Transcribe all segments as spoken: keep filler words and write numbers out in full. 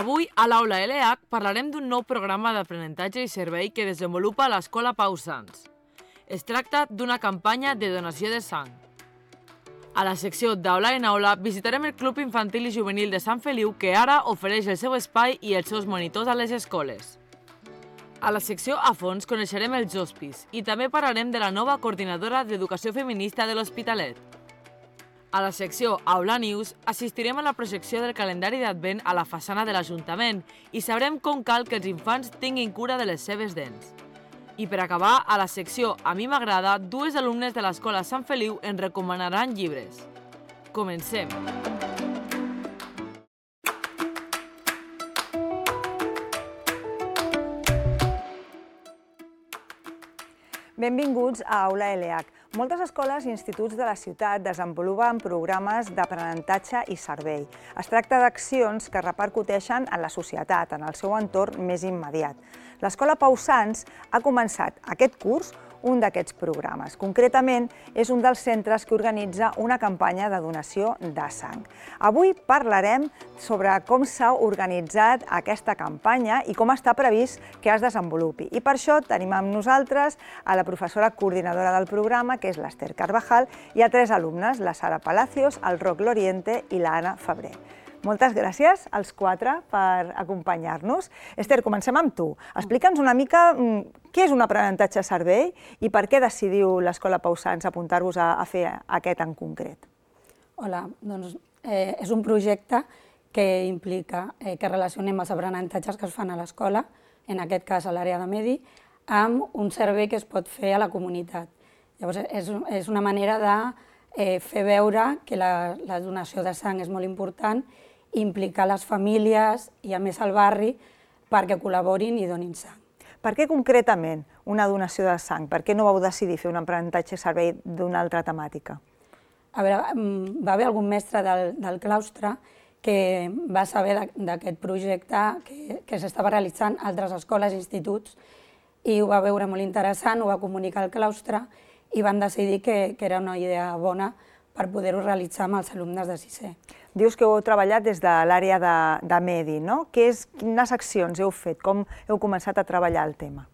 Avui, a l'Aula L H, parlarem d'un nou programa d'aprenentatge i servei que desenvolupa l'Escola Pau Sans. Es tracta d'una campanya de donació de sang. A la secció d'Aula en Aula visitarem el Club Infantil i Juvenil de Sant Feliu, que ara ofereix el seu espai i els seus monitors a les escoles. A la secció a fons coneixerem els hospis i també parlarem de la nova coordinadora d'Educació Feminista de l'Hospitalet. A la secció Aula News assistirem a la projecció del calendari d'Advent a la façana de l'Ajuntament i sabrem com cal que els infants tinguin cura de les seves dents. I per acabar, a la secció A mi m'agrada, dues alumnes de l'Escola Sant Feliu ens recomanaran llibres. Comencem! Benvinguts a Aula L H. Moltes escoles i instituts de la ciutat desenvolupen programes d'aprenentatge i servei. Es tracta d'accions que repercuteixen en la societat, en el seu entorn més immediat. L'Escola Pau Sans ha començat aquest curs un d'aquests programes. Concretament, és un dels centres que organitza una campanya de donació de sang. Avui parlarem sobre com s'ha organitzat aquesta campanya i com està previst que es desenvolupi. I per això tenim amb nosaltres a la professora coordinadora del programa, que és l'Ester Carvajal, i a tres alumnes, la Sara Palacios, el Roc Loriente i l'Anna Febrer. Moltes gràcies als quatre per acompanyar-nos. Ester, comencem amb tu. Explica'ns una mica què és un aprenentatge servei i per què decidiu l'Escola Pau Sans apuntar-vos a fer aquest en concret. Hola, doncs és un projecte que implica que relacionem els aprenentatges que es fan a l'escola, en aquest cas a l'àrea de medi, amb un servei que es pot fer a la comunitat. Llavors, és una manera de fer veure que la donació de sang és molt important, implicar les famílies i a més al barri perquè col·laborin i donin sang. Per què concretament una donació de sang? Per què no vau decidir fer un aprenentatge servei d'una altra temàtica? A veure, va haver algun mestre del claustre que va saber d'aquest projecte que s'estava realitzant a altres escoles i instituts i ho va veure molt interessant, ho va comunicar al claustre i van decidir que era una idea bona per poder-ho realitzar amb els alumnes de sisè. Dius que heu treballat des de l'àrea de medi, no? Quines accions heu fet? Com heu començat a treballar el tema?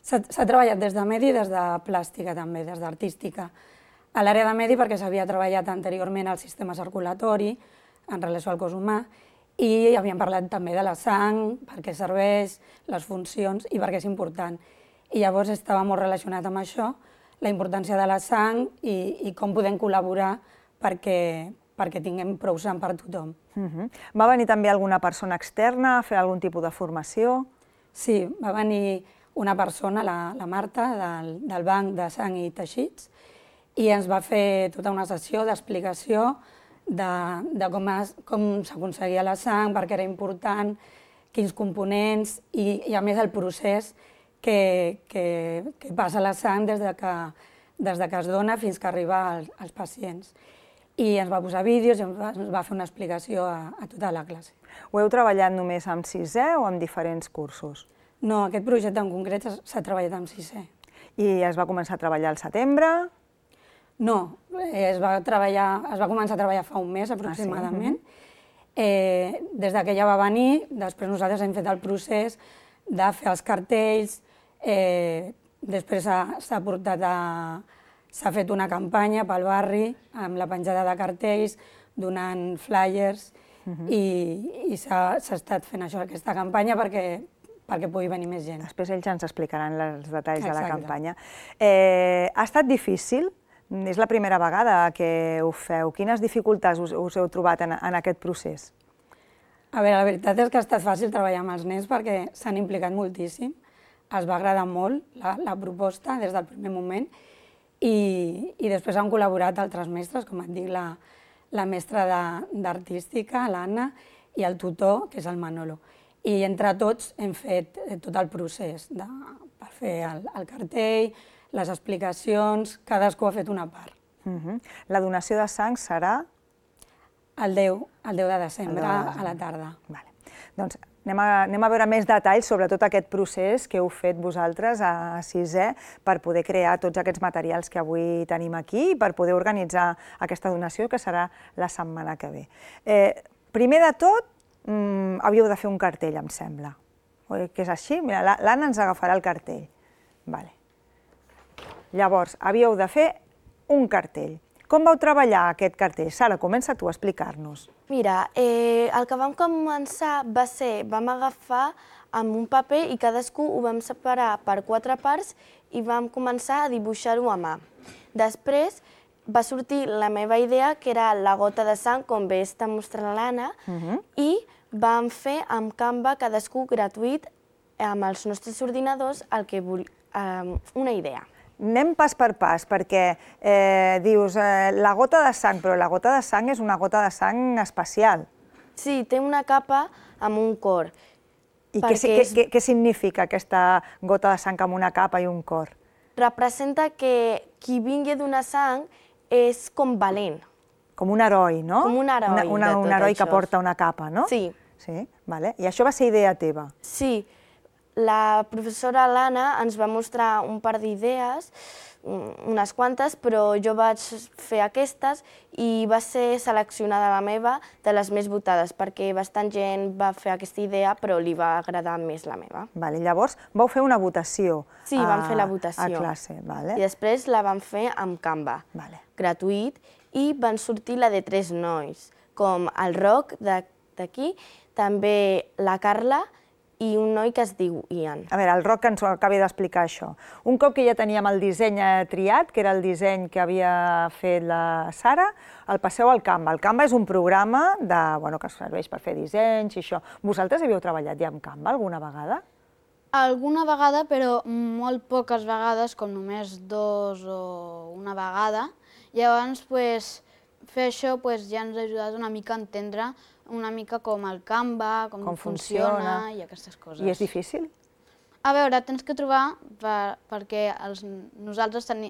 S'ha treballat des de medi i des de plàstica també, des d'artística. A l'àrea de medi perquè s'havia treballat anteriorment el sistema circulatori en relació al cos humà i havíem parlat també de la sang, per què serveix, les funcions i per què és important. I llavors estava molt relacionat amb això, la importància de la sang i com podem col·laborar perquè tinguem prou sang per tothom. Va venir també alguna persona externa a fer algun tipus de formació? Sí, va venir una persona, la Marta, del Banc de Sang i Teixits, i ens va fer tota una sessió d'explicació de com s'aconseguia la sang, per què era important, quins components i a més el procés que passa la sang des que es dona fins que arriba als pacients. I ens va posar vídeos i ens va fer una explicació a tota la classe. Ho heu treballat només amb sisè o amb diferents cursos? No, aquest projecte en concret s'ha treballat amb sisè. I es va començar a treballar al setembre? No, es va començar a treballar fa un mes aproximadament. Des que ella va venir, després nosaltres hem fet el procés de fer els cartells, després s'ha portat a... s'ha fet una campanya pel barri amb la penjada de cartells, donant flyers i s'ha estat fent això, aquesta campanya perquè pugui venir més gent. Després ells ens explicaran els detalls de la campanya. Ha estat difícil? És la primera vegada que ho feu. Quines dificultats us heu trobat en aquest procés? A veure, la veritat és que ha estat fàcil treballar amb els nens perquè s'han implicat moltíssim. Els va agradar molt la proposta des del primer moment i després han col·laborat altres mestres, com et dic, la mestra d'artística, l'Anna, i el tutor, que és el Manolo. I entre tots hem fet tot el procés per fer el cartell, les explicacions, cadascú ha fet una part. La donació de sang serà? El deu de desembre a la tarda. Doncs anem a veure més detalls sobre tot aquest procés que heu fet vosaltres a sisè per poder crear tots aquests materials que avui tenim aquí i per poder organitzar aquesta donació que serà la setmana que ve. Primer de tot, havíeu de fer un cartell, em sembla. Oi que és així? Mira, l'Anna ens agafarà el cartell. Vale. Llavors, havíeu de fer un cartell. Com vau treballar aquest cartell? Sara, comença tu a explicar-nos. Mira, eh, el que vam començar va ser, vam agafar amb un paper i cadascú ho vam separar per quatre parts i vam començar a dibuixar-ho a mà. Després va sortir la meva idea, que era la gota de sang, com bé està mostrant l'Anna, i vam fer amb Canva, cadascú gratuït, amb els nostres ordinadors, el que vol... eh, una idea. Anem pas per pas, perquè eh, dius eh, la gota de sang, però la gota de sang és una gota de sang especial. Sí, té una capa amb un cor. I què, què, què, què significa aquesta gota de sang amb una capa i un cor? Representa que qui vingui a donar sang és com valent. Com un heroi, no? Com un heroi una, una, de tot un heroi això. Que porta una capa, no? Sí. Sí, vale. I això va ser idea teva? Sí. La professora Lana ens va mostrar un par d'idees, unes quantes, però jo vaig fer aquestes i va ser seleccionada la meva de les més votades, perquè bastant gent va fer aquesta idea, però li va agradar més la meva. Vale, llavors vau fer una votació. Sí, vam fer la votació. A classe, vale. I després la vam fer amb Canva, vale. Gratuït, i van sortir la de tres nois, com el Roc d'aquí, també la Carla i un noi que es diu Ian. A veure, el Roc ens ho acabi d'explicar això. Un cop que ja teníem el disseny triat, que era el disseny que havia fet la Sara, el passeu al Canva. El Canva és un programa de, bueno, que serveix per fer dissenys i això. Vosaltres havíeu treballat ja amb Canva alguna vegada? Alguna vegada, però molt poques vegades, com només dos o una vegada. Llavors, pues, fer això pues, ja ens ha ajudat una mica a entendre una mica com el Canva, com, com funciona, funciona i aquestes coses. I és difícil? A veure, tens que trobar, per, perquè els, nosaltres teni,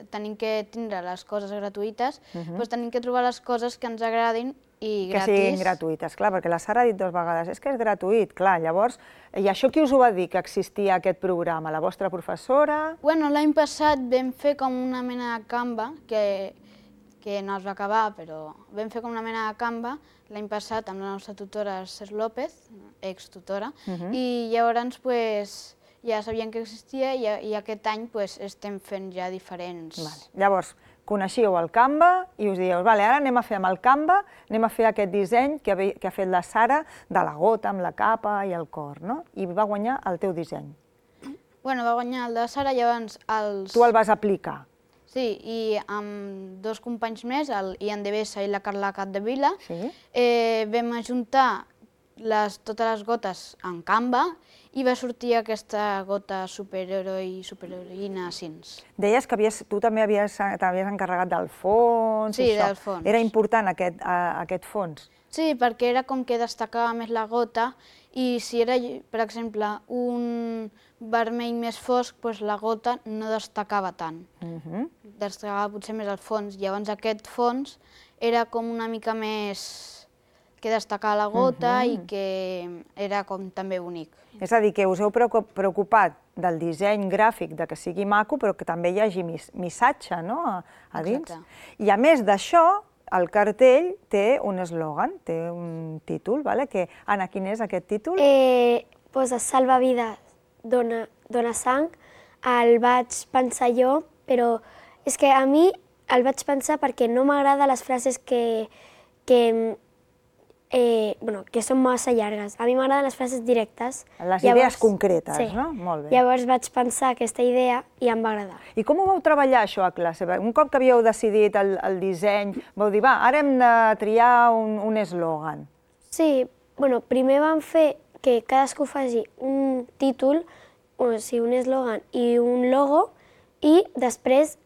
tenim que tindre les coses gratuïtes, uh -huh. doncs tenim que trobar les coses que ens agradin i gratis. Que siguin gratuïtes, clar, perquè la Sara ha dit dues vegades, és que és gratuït, clar, llavors, i això qui us ho va dir, que existia aquest programa? La vostra professora? Bueno, l'any passat vam fer com una mena de Canva, que, que no es va acabar, però vam fer com una mena de Canva l'any passat amb la nostra tutora Cés López, ex-tutora, uh -huh. i llavors pues, ja sabien que existia i, i aquest any pues, estem fent ja diferents. Vale. Llavors, coneixíeu el Canva i us dieu, vale, ara anem a fer amb el Canva, anem a fer aquest disseny que ha, que ha fet la Sara de la gota amb la capa i el cor, no? I va guanyar el teu disseny. Bueno, va guanyar el de la Sara, llavors els... Tu el vas aplicar. Sí, i amb dos companys més, el Ian de Bessa i la Carla Capdevila, sí. eh, vam ajuntar les, totes les gotes en Canva i va sortir aquesta gota superheroi i superheroïna Sins. Deies que havies, tu també havies, t'havies encarregat del fons. Sí, i això. del fons. Era important aquest, a, aquest fons? Sí, perquè era com que destacava més la gota i si era, per exemple, un vermell més fosc, doncs la gota no destacava tant. Uh -huh. Destacava potser més el fons. Llavors aquest fons era com una mica més que destacava la gota uh -huh. i que era com també bonic. És a dir, que us heu preocupat del disseny gràfic, de que sigui maco, però que també hi hagi missatge, no?, a, a dins. Exacte. I a més d'això, el cartell té un eslògan, té un títol, vale? Que, Anna, quin és aquest títol? Eh, posa Salva vides, dona, dona sang. El vaig pensar jo, però és que a mi el vaig pensar perquè no m'agraden les frases que, que, eh, bueno, que són massa llargues. A mi m'agraden les frases directes. Les idees Llavors, concretes, sí. no? Molt bé. Llavors vaig pensar aquesta idea i em va agradar. I com ho vau treballar, això, a classe? Un cop que havíeu decidit el, el disseny, vau dir, va, ara hem de triar un, un eslògan. Sí, bueno, primer vam fer que cadascú faci un títol, o sigui, un eslògan i un logo, i després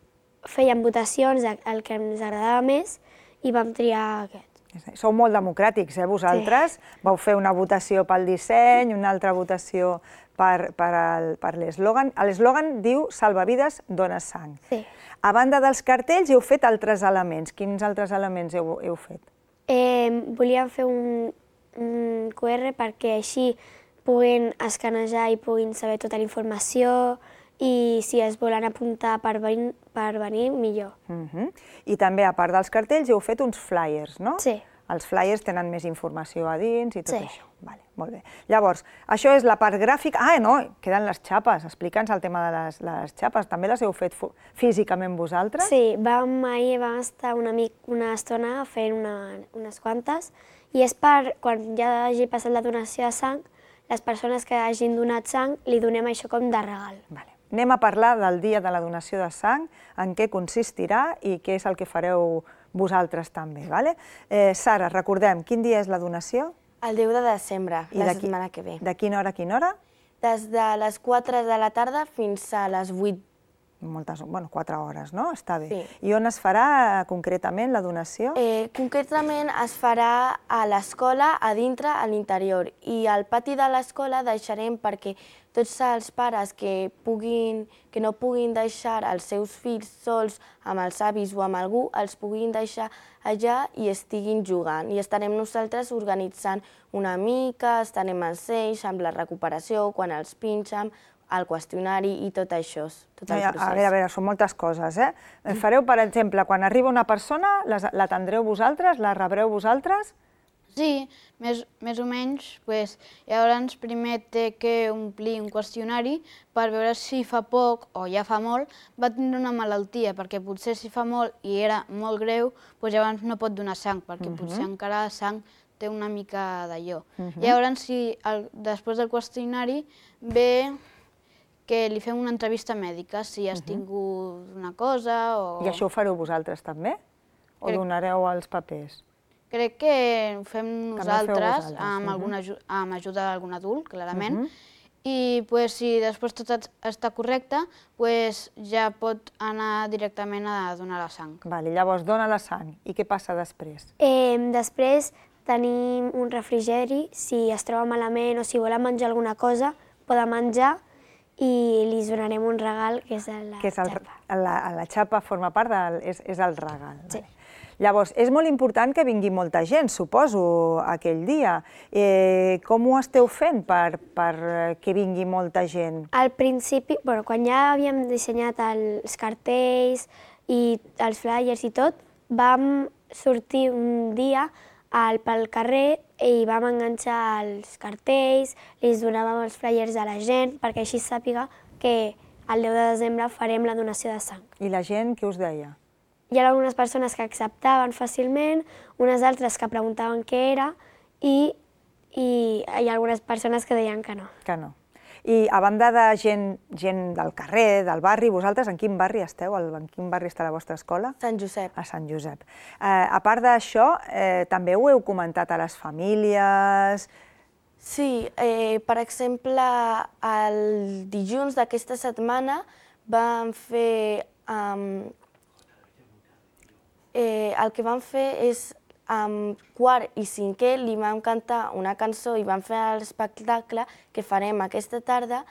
fèiem votacions del que ens agradava més i vam triar aquest. Sou molt democràtics, eh, vosaltres? Sí. Vau fer una votació pel disseny, una altra votació per, per, per l'eslògan. L'eslògan diu Salva vides, dona sang. Sí. A banda dels cartells, heu fet altres elements. Quins altres elements heu, heu fet? Eh, volíem fer un, un Q R perquè així puguin escanejar i puguin saber tota la informació i si es volen apuntar per venir, per venir millor. Uh-huh. I també, a part dels cartells, heu fet uns flyers, no? Sí. Els flyers tenen més informació a dins i tot Sí. això. Vale, molt bé. Llavors, això és la part gràfica. Ah, no, queden les xapes. Explica'ns el tema de les, les xapes. També les heu fet físicament vosaltres? Sí, vam, ahir vam estar una, mic, una estona fent una, unes quantes i és per, quan ja hagi passat la donació de sang, les persones que hagin donat sang li donem això com de regal. Vale. Anem a parlar del dia de la donació de sang, en què consistirà i què és el que fareu vosaltres també. Vale? Eh, Sara, recordem, quin dia és la donació? El deu de desembre, I la de qui- setmana que ve. De quina hora a quina hora? Des de les quatre de la tarda fins a les vuit. Moltes, bueno, quatre hores, no? Està bé. Sí. I on es farà eh, concretament la donació? Eh, concretament es farà a l'escola, a dintre, a l'interior. I al pati de l'escola deixarem perquè tots els pares que, puguin, que no puguin deixar els seus fills sols amb els avis o amb algú, els puguin deixar allà i estiguin jugant. I estarem nosaltres organitzant una mica, estarem amb ells, amb la recuperació, quan els pinxen, el qüestionari i tot això, tot el a, procés. a veure, a veure, són moltes coses, eh? Fareu, per exemple, quan arriba una persona, les- l'atendreu vosaltres, la rebreu vosaltres? Sí, més, més o menys. Pues, llavors primer té que omplir un qüestionari per veure si fa poc o ja fa molt va tindre una malaltia, perquè potser si fa molt i era molt greu, pues llavors no pot donar sang, perquè uh -huh. potser encara la sang té una mica d'allò. Uh -huh. Llavors, si el, després del qüestionari ve que li fem una entrevista mèdica, si has uh -huh. tingut una cosa o... I això ho fareu vosaltres també? O Crec- donareu els papers? Crec que ho fem També ho feu nosaltres, vosaltres, amb, mhm. alguna, aju- amb ajuda d'algun adult, clarament, i pues, si després tot et- està correcte, pues, ja pot anar directament a donar la sang. Vale, llavors dona la sang. I què passa després? Eh, després tenim un refrigeri, si es troba malament o si volen menjar alguna cosa, poden menjar i li donarem un regal, que és la que és el, xapa. la, la xapa forma part del... és, és el regal. Sí. Vale. Llavors, és molt important que vingui molta gent, suposo, aquell dia. Eh, com ho esteu fent per, per que vingui molta gent? Al principi, bueno, quan ja havíem dissenyat els cartells i els flyers i tot, vam sortir un dia al, pel carrer i vam enganxar els cartells, li donàvem els flyers a la gent perquè així sàpiga que el deu de desembre farem la donació de sang. I la gent, què us deia? Hi ha algunes persones que acceptaven fàcilment, unes altres que preguntaven què era i, i hi ha algunes persones que deien que no. Que no. I a banda de gent, gent del carrer, del barri, vosaltres en quin barri esteu? En quin barri està la vostra escola? Sant Josep. A Sant Josep. Eh, a part d'això, eh, també ho heu comentat a les famílies... Sí, eh, per exemple, el dilluns d'aquesta setmana vam fer... Um, eh, el que vam fer és, amb quart i cinquè, li vam cantar una cançó i vam fer l'espectacle que farem aquesta tarda,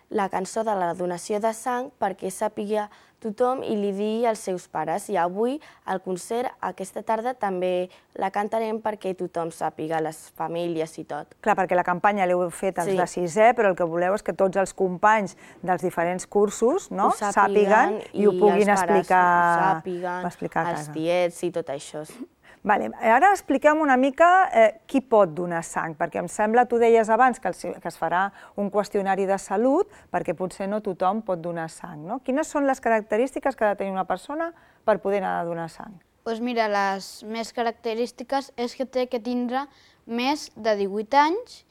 la cançó de la donació de sang, perquè sàpiga tothom i li digui als seus pares. I avui, al concert, aquesta tarda, també la cantarem perquè tothom sàpiga, les famílies i tot. Clar, perquè la campanya l'heu fet els Sí. de sisè, però el que voleu és que tots els companys dels diferents cursos, no?, Ho sàpiguen i ho puguin els pares explicar, ho sàpiguen, explicar a els casa. tiets i tot això. Vale. Ara expliquem una mica eh, qui pot donar sang, perquè em sembla, tu deies abans que, el, que es farà un qüestionari de salut, perquè potser no tothom pot donar sang, no? Quines són les característiques que ha de tenir una persona per poder anar a donar sang? Pues mira, les més característiques és que té que tindre més de divuit anys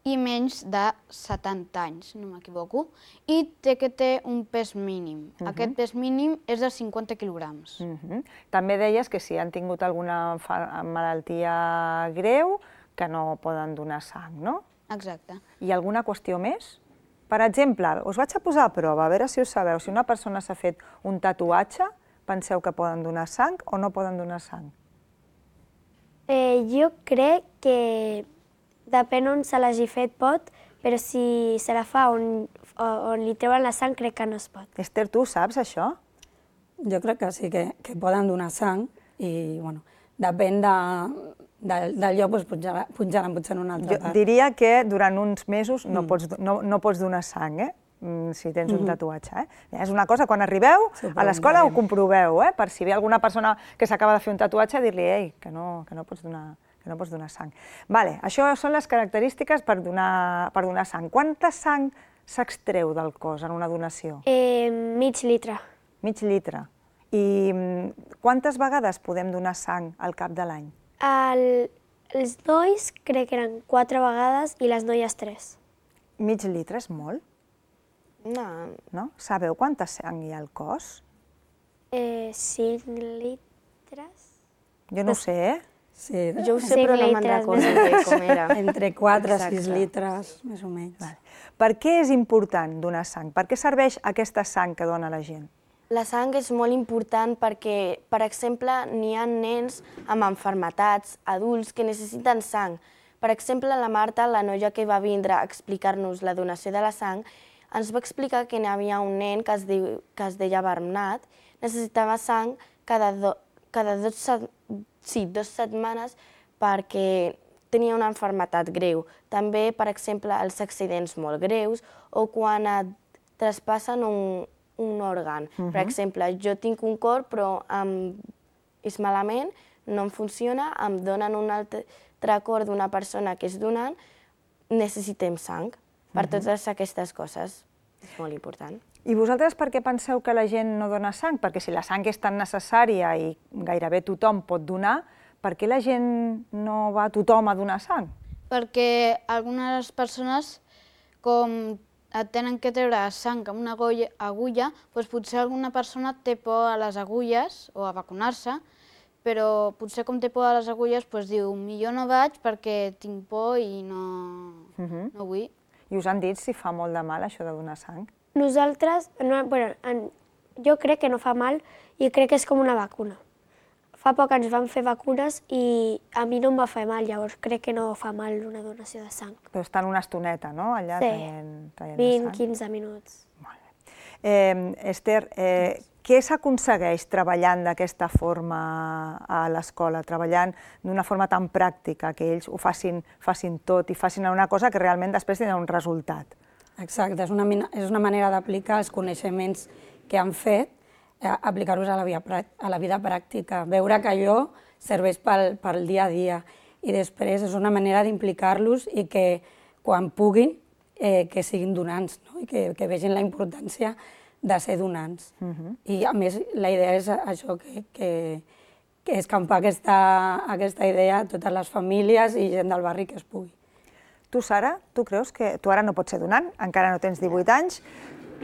i menys de setanta anys, no m'equivoco, i té que té un pes mínim. Uh -huh. Aquest pes mínim és de cinquanta quilograms. Uh -huh. També deies que si han tingut alguna malaltia greu, que no poden donar sang, no? Exacte. I alguna qüestió més? Per exemple, us vaig a posar a prova, a veure si ho sabeu, si una persona s'ha fet un tatuatge, penseu que poden donar sang o no poden donar sang? Eh, jo crec que depèn on se l'hagi fet pot, però si se la fa on, on li treuen la sang crec que no es pot. Esther, tu saps això? Jo crec que sí, que, que poden donar sang i, bueno, depèn de, de, del lloc, doncs punjaran potser en una altra Jo part. diria que durant uns mesos no, pots, no, no pots donar sang, eh? si tens un tatuatge. És una cosa, quan arribeu a l'escola ho comproveu, per si ve alguna persona que s'acaba de fer un tatuatge, dir-li, ei, que no pots donar sang. Vale, això són les característiques per donar sang. Quanta sang s'extreu del cos en una donació? Mig litre. Mig litre. I quantes vegades podem donar sang al cap de l'any? Els nois crec que eren quatre vegades i les noies tres. Mig litre és molt? No. Sabeu quanta sang hi ha al cos? Cinc litres. Jo no ho sé, eh? Sí, jo ho sé, però no me'n recordo com era. Entre quatre i sis litres, més o menys. Per què és important donar sang? Per què serveix aquesta sang que dona la gent? La sang és molt important perquè, per exemple, n'hi ha nens amb malalties, adults, que necessiten sang. Per exemple, la Marta, la noia que va vindre a explicar-nos la donació de la sang, ens va explicar que n'hi havia un nen que es, diu, que es deia Bernat, necessitava sang cada, do, cada dos, sí, dos setmanes perquè tenia una malaltia greu. També, per exemple, els accidents molt greus o quan et traspassen un, un òrgan. Uh-huh. Per exemple, jo tinc un cor però em, és malament, no em funciona, em donen un altre cor d'una persona que és donant, necessitem sang. Per totes aquestes coses és molt important. I vosaltres per què penseu que la gent no dona sang? Perquè si la sang és tan necessària i gairebé tothom pot donar, per què la gent no va tothom a donar sang? Perquè algunes persones, com et tenen que treure sang amb una agulla, doncs potser alguna persona té por a les agulles o a vacunar-se, però potser com té por a les agulles doncs diu, millor no vaig perquè tinc por i no, no vull. I us han dit si fa molt de mal això de donar sang? Nosaltres, no, bueno, en, jo crec que no fa mal i crec que és com una vacuna. Fa poc ens van fer vacunes i a mi no em va fer mal, llavors crec que no fa mal una donació de sang. Però estan una estoneta, no?, allà sí, traient, traient vint a quinze minuts. Molt bé. Eh, Esther, eh, què s'aconsegueix treballant d'aquesta forma a l'escola, treballant d'una forma tan pràctica, que ells ho facin, facin tot i facin una cosa que realment després tindrà un resultat? Exacte, és una, és una manera d'aplicar els coneixements que han fet, eh, aplicar-los a, a la vida pràctica, veure que allò serveix pel, pel dia a dia i després és una manera d'implicar-los i que quan puguin eh, que siguin donants, no? I que, que vegin la importància de ser donants. Uh-huh. I a més la idea és això, que, que, que escampar aquesta, aquesta idea a totes les famílies i gent del barri que es pugui. Tu, Sara, tu creus que tu ara no pots ser donant, encara no tens divuit anys,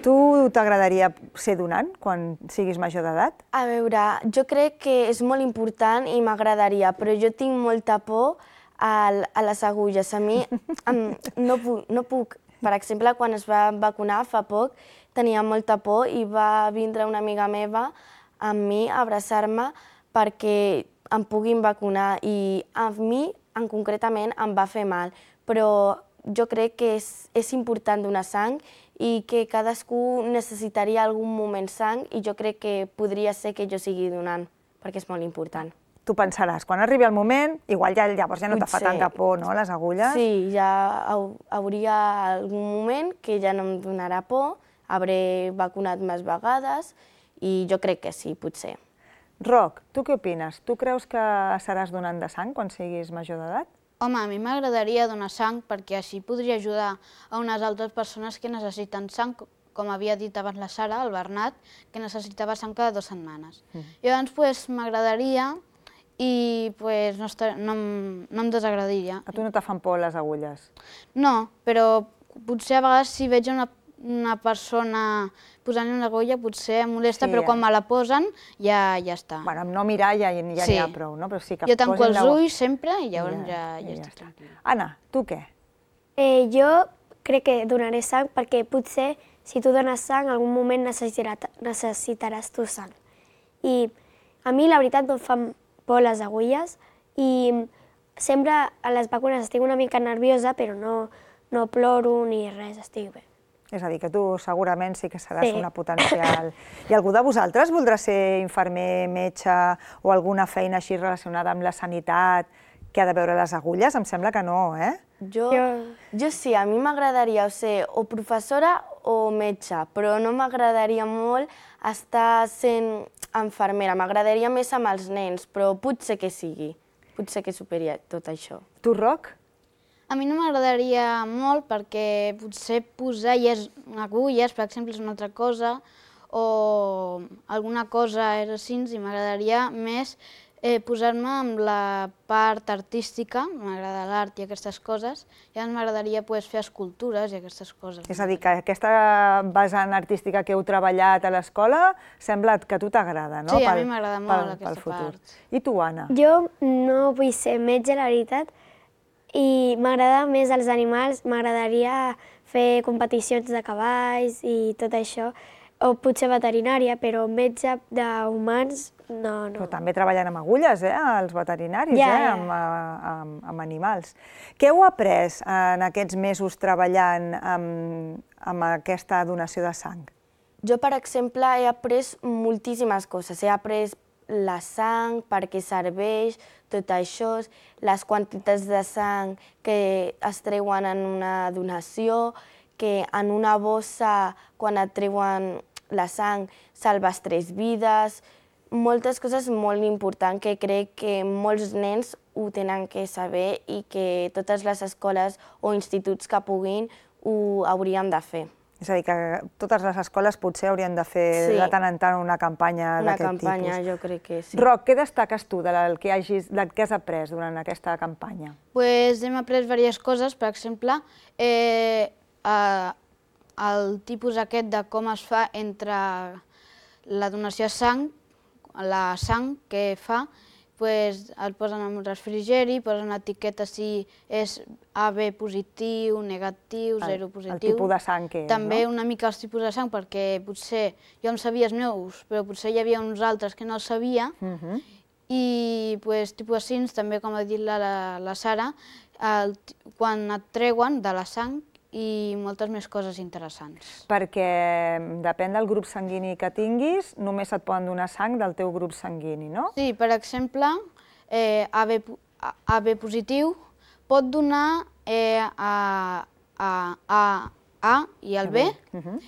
tu t'agradaria ser donant quan siguis major d'edat? A veure, jo crec que és molt important i m'agradaria, però jo tinc molta por a, a les agulles. A mi em, no, puc, no puc. Per exemple, quan es va vacunar fa poc, tenia molta por i va vindre una amiga meva amb mi a abraçar-me perquè em puguin vacunar i a mi, en concretament, em va fer mal. Però jo crec que és, és important donar sang i que cadascú necessitaria algun moment sang i jo crec que podria ser que jo sigui donant, perquè és molt important. Tu pensaràs, quan arribi el moment, igual ja, llavors ja no te fa tanta por, no, les agulles? Sí, ja hauria algun moment que ja no em donarà por, hauré vacunat més vegades i jo crec que sí, potser. Roc, tu què opines? Tu creus que seràs donant de sang quan siguis major d'edat? Home, a mi m'agradaria donar sang perquè així podria ajudar a unes altres persones que necessiten sang, com havia dit abans la Sara, el Bernat, que necessitava sang cada dues setmanes. Mm. Llavors, pues, m'agradaria i pues, no, estar, no, no em desagradaria. A tu no te fan por les agulles? No, però potser a vegades si veig una, una persona posant una agulla potser em molesta, sí, però quan me la posen ja, ja està. Bueno, amb no mirar ja n'hi ja sí. ha prou, no? Però sí que jo tanco els ulls sempre i llavors ja, ja, ja, ja estic tranquil·la. Anna, tu què? Eh, jo crec que donaré sang perquè potser si tu dones sang en algun moment necessitaràs, necessitaràs tu sang. I a mi la veritat no em fan por les agulles i sempre a les vacunes estic una mica nerviosa però no, no ploro ni res, estic bé. És a dir, que tu segurament sí que seràs sí. una potencial... I algú de vosaltres voldrà ser infermer, metge o alguna feina així relacionada amb la sanitat que ha de veure les agulles? Em sembla que no, eh? Jo, jo sí, a mi m'agradaria ser o professora o metge, però no m'agradaria molt estar sent infermera. M'agradaria més amb els nens, però potser que sigui. Potser que superi tot això. Tu, Roc? A mi no m'agradaria molt perquè potser posar lles, agulles, per exemple, és una altra cosa, o alguna cosa és així, i m'agradaria més eh, posar-me amb la part artística, m'agrada l'art i aquestes coses, i llavors m'agradaria pues, fer escultures i aquestes coses. És a dir, que aquesta vessant artística que heu treballat a l'escola sembla que a tu t'agrada, no? Sí, a mi m'agrada molt aquesta part. I tu, Anna? Jo no vull ser metge, la veritat, i m'agrada més els animals, m'agradaria fer competicions de cavalls i tot això, o potser veterinària, però metge d'humans no, no. Però també treballen amb agulles, eh, els veterinaris, Ja, eh, ja. amb, amb, amb animals. Què heu après en aquests mesos treballant amb, amb aquesta donació de sang? Jo, per exemple, he après moltíssimes coses. He après la sang, per què serveix, tot això, les quantitats de sang que es treuen en una donació, que en una bossa, quan et treuen la sang, salves tres vides, moltes coses molt importants que crec que molts nens ho tenen que saber i que totes les escoles o instituts que puguin ho haurien de fer. És a dir, que totes les escoles potser haurien de fer Sí. de tant en tant una campanya Una d'aquest tipus. campanya, jo crec que sí. Roc, què destaques tu del que, hagis, del que has après durant aquesta campanya? Pues hem après diverses coses, per exemple, eh, eh, el tipus aquest de com es fa entre la donació de sang, la sang que fa, pues, el posen en un refrigeri, posen una etiqueta si és A B positiu, negatiu, El- zero el positiu. tipus de sang que és, També no? una mica els tipus de sang, perquè potser jo em sabia els meus, però potser hi havia uns altres que no els sabia, Mhm. i pues, tipus així, també com ha dit la, la, la Sara, el, quan et treuen de la sang i moltes més coses interessants. Perquè depèn del grup sanguini que tinguis, només et poden donar sang del teu grup sanguini, no? Sí, per exemple, eh, A B, po- A- AB positiu pot donar eh, a, a, a A i el B Mhm.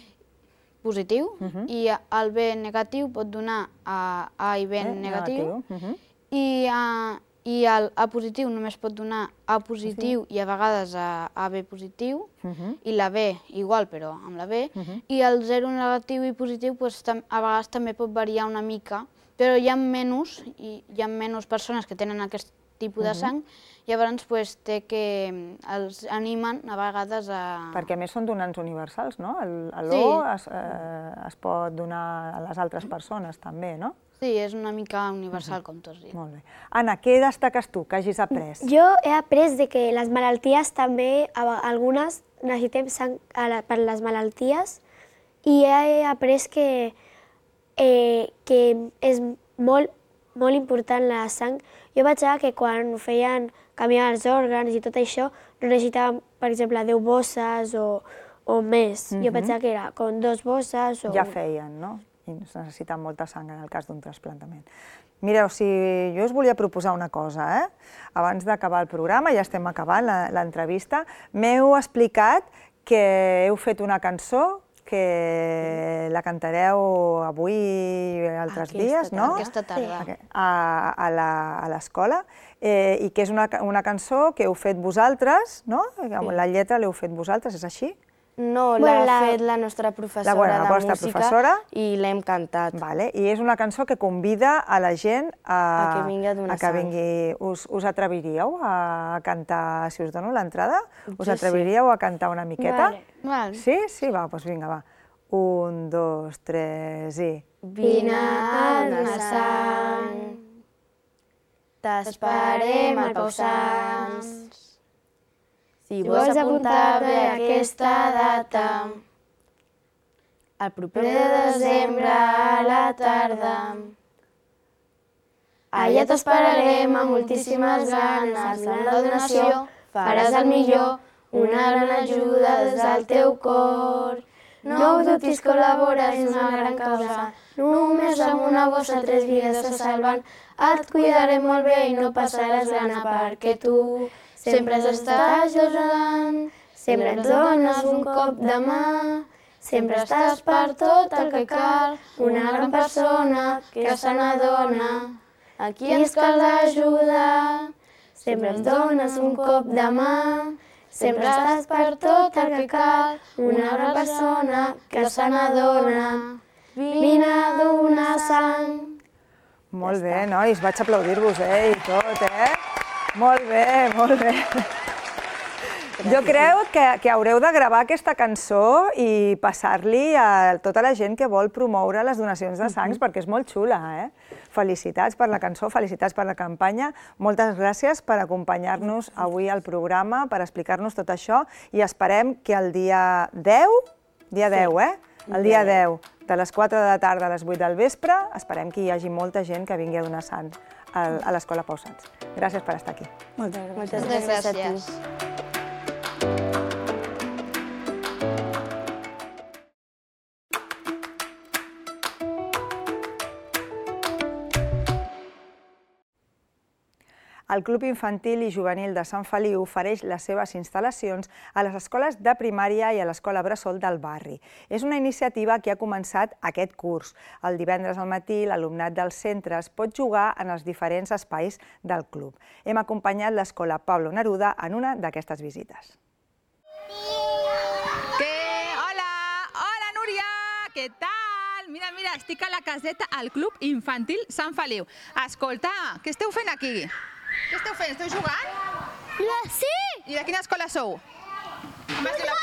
positiu, i el B negatiu pot donar a A i B Eh, negatiu, mhm. i, a, i el A positiu només pot donar A positiu i a vegades a AB positiu, Mhm. i la B igual, però amb la B, i el zero negatiu i positiu pues, tam- a vegades també pot variar una mica, però hi ha menys, i hi ha menys persones que tenen aquest tipus de sang, llavors pues, té que els animen a vegades a... Perquè a més són donants universals, no? El- L'O Sí. es, eh, es pot donar a les altres persones també, no? Sí, és una mica universal, com tots diuen. Molt bé. Anna, què destaques tu que hagis après? Jo he après de que les malalties també, a- algunes necessitem sang a la, per les malalties, i he après que, eh, que és molt, molt important la sang. Jo vaig veure que quan feien canviar els òrgans i tot això, no necessitàvem, per exemple, deu bosses o, o més. Jo vaig veure que era com dos bosses o... Ja feien, no? I es necessita molta sang en el cas d'un trasplantament. Mireu, si jo us volia proposar una cosa, eh? Abans d'acabar el programa, ja estem acabant la- l'entrevista, m'heu explicat que heu fet una cançó que la cantareu avui i altres Aquesta dies, no? Aquesta tarda. Sí. A, a la- a l'escola, eh, i que és una, ca- una cançó que heu fet vosaltres, no? La lletra l'heu fet vosaltres, és així? No, Bueno, l'ha la- fet la nostra professora La- bueno, la de vostra música professora. i l'hem cantat. Vale. I és una cançó que convida a la gent a, A que vingui a donar a que sang. vingui. Us, us atreviríeu a cantar, si us dono l'entrada? Us Jo atreviríeu a cantar una miqueta? Vale. Val. Sí? Sí, va, doncs vinga, va. Un, dos, tres i... Vine a donar sang, t'esperem al Pau Sants. Si vols apuntar-te a aquesta data, el proper de desembre a la tarda, allà t'esperarem amb moltíssimes ganes. En la donació faràs el millor, una gran ajuda des del teu cor. No ho dubtis, col·labores en una gran causa. Només amb una bossa tres vides se salven. Et cuidarem molt bé i no passaràs gana perquè tu sempre estàs ajudant, sempre ens dones un cop de mà, sempre estàs per tot el que cal, una gran persona que se n'adona, a qui ens cal ajudar. Sempre ens dones un cop de mà, sempre estàs per tot el que cal, una gran persona que se n'adona, vine a donar sang. Molt bé, nois, vaig aplaudir-vos, eh, i tot, eh? Molt bé, molt bé. Jo crec que, que haureu de gravar aquesta cançó i passar-li a tota la gent que vol promoure les donacions de sangs, perquè és molt xula, eh? Felicitats per la cançó, felicitats per la campanya. Moltes gràcies per acompanyar-nos avui al programa, per explicar-nos tot això, i esperem que el dia deu, dia deu, eh? El dia deu, de les quatre de la tarda a les vuit del vespre, esperem que hi hagi molta gent que vingui a donar sang a l'Escola Pau Sans. Gràcies per estar aquí. Moltes gràcies. Moltes gràcies. El Club Infantil i Juvenil de Sant Feliu ofereix les seves instal·lacions a les escoles de primària i a l'escola bressol del barri. És una iniciativa que ha començat aquest curs. El divendres al matí, l'alumnat dels centres pot jugar en els diferents espais del club. Hem acompanyat l'escola Pablo Neruda en una d'aquestes visites. ¿Qué? Hola, hola Núria, què tal? Mira, mira, estic a la caseta al Club Infantil Sant Feliu. Escolta, què esteu fent aquí? Què esteu fent? Esteu jugant? Sí! I de quina escola sou? Com es diu la...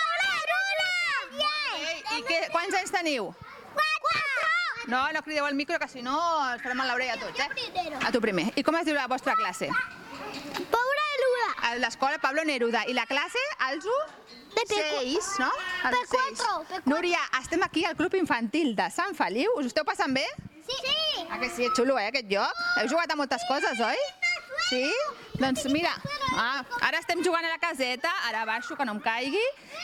Ei, I què, quants anys teniu? Quatre! No, no crideu al micro, que si no ens farem mal l'orella a tots, eh? A tu primer. I com es diu la vostra classe? Paula Neruda. A l'escola Pablo Neruda. I la classe, els u? Seis, no? P quatre. Núria, estem aquí al Club Infantil de Sant Feliu. Us ho esteu passant bé? Sí! Ah, que sí, és xulo, eh, aquest lloc? Heu jugat a moltes coses, oi? Sí? Doncs mira, ah, ara estem jugant a la caseta, ara baixo, que no em caigui,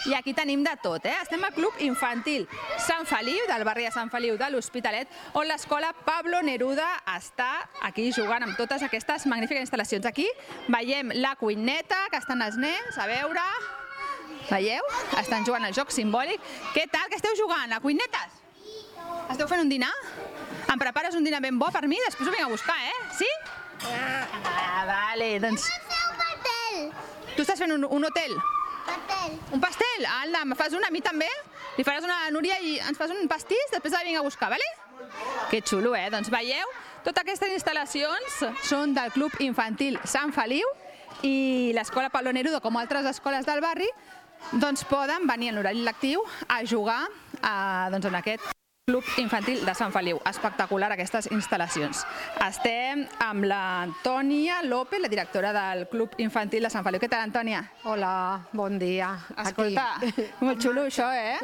i aquí tenim de tot, eh? Estem al Club Infantil Sant Feliu, del barri de Sant Feliu de l'Hospitalet, on l'escola Pablo Neruda està aquí jugant amb totes aquestes magnífiques instal·lacions. Aquí veiem la cuineta, que estan els nens, a veure... Veieu? Estan jugant al joc simbòlic. Què tal? Què esteu jugant? A cuinetes? Esteu fent un dinar? Em prepares un dinar ben bo per mi? Després ho vinc a buscar, eh? Sí? Ah, vale, doncs... Un pastel. Tu estàs fent un, un hotel? Pastel. Un pastel? Alda, me fas un a mi també? Li faràs una a Núria i ens fas un pastís? Després la vinc a buscar, vale? Que xulo, eh? Doncs veieu? Totes aquestes instal·lacions són del Club Infantil Sant Feliu i l'escola Pablo Neruda, com altres escoles del barri, doncs poden venir en l'horari lectiu a jugar a, doncs, en aquest Club Infantil de Sant Feliu. Espectacular aquestes instal·lacions. Estem amb l'Antònia López, la directora del Club Infantil de Sant Feliu. Què tal, Antònia? Hola, bon dia. Escolta, molt xulo això, eh?